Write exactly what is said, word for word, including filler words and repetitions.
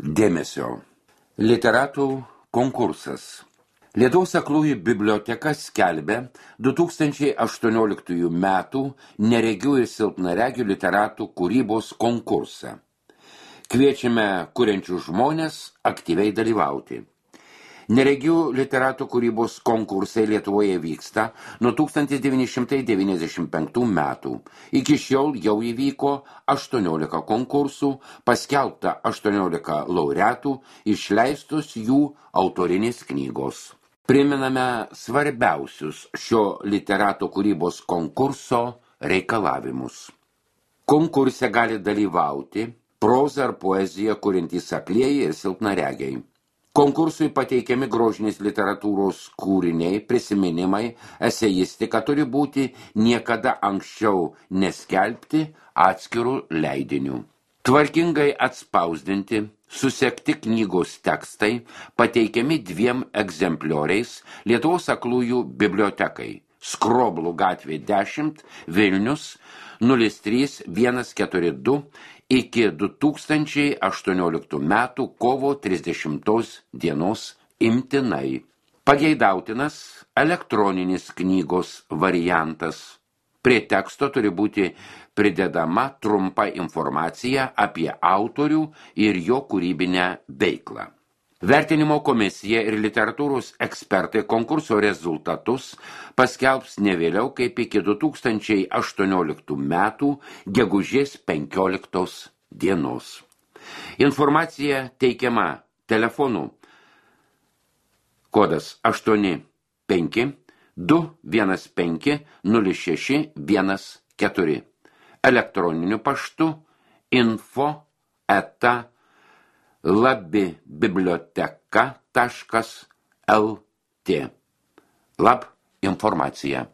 Dėmesio. Literatų konkursas. Lietuvos aklųjų biblioteka skelbia du tūkstančiai aštuonioliktųjų metų neregių ir silpnaregių literatų kūrybos konkursą. Kviečiame kuriančius žmones aktyviai dalyvauti. Neregių literatų kūrybos konkursai Lietuvoje vyksta nuo tūkstantis devyni šimtai devyniasdešimt penktų metų. Iki šiol jau įvyko aštuoniolika konkursų, paskelbta aštuoniolika laureatų, išleistos jų autorinės knygos. Priminame svarbiausius šio literatų kūrybos konkurso reikalavimus. Konkurse gali dalyvauti prozą ar poeziją kuriantys aklieji ir silpnaregiai. Konkursui pateikiami grožinės literatūros kūriniai, prisiminimai, eseistika turi būti niekada anksčiau neskelbti atskirų leidinių. Tvarkingai atspausdinti, susekti knygos tekstai pateikiami dviem egzemplioriais Lietuvos aklųjų bibliotekai. Skroblų gatvė dešimt, Vilnius, nulis trys vienas keturi du iki du tūkstančiai aštuonioliktų metų kovo trisdešimtos dienos imtinai. Pageidautinas elektroninis knygos variantas. Prie teksto turi būti pridedama trumpa informacija apie autorių ir jo kūrybinę veiklą. Vertinimo komisija ir literatūros ekspertai konkurso rezultatus paskelbs ne vėliau kaip iki du tūkstančiai aštuonioliktų metų gegužės penkioliktos dienos. Informacija teikiama telefonu kodas aštuoni penki du vienas penki nulis šeši vienas keturi, elektroniniu paštu info eta labibiblioteka taškas lt. Lab informacija.